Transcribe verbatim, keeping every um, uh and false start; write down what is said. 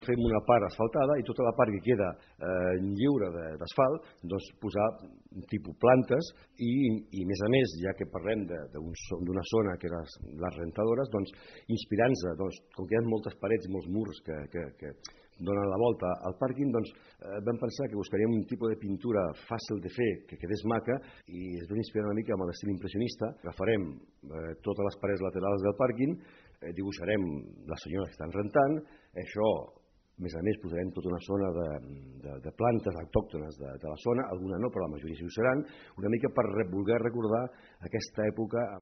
Fem una part asfaltada i tota la part que queda eh, lliure d'asfalt, doncs posar un tipus plantes i, i a més a més, ja que parlem d'una zona que eren les rentadores, doncs inspirant-se, doncs, com que hi ha moltes parets i molts murs que, que, que donen la volta al pàrquing, doncs eh, vam pensar que buscaríem un tipus de pintura fàcil de fer, que quedés maca, i es vam inspirar una mica amb l'estil impressionista. Agafarem eh, totes les parets laterals del pàrquing, eh, dibuixarem les senyores que estan rentant, això a més a més posarem tota una zona de, de, de plantes autòctones de, de la zona, alguna no, però la majoria sí ho seran, una mica per voler recordar aquesta època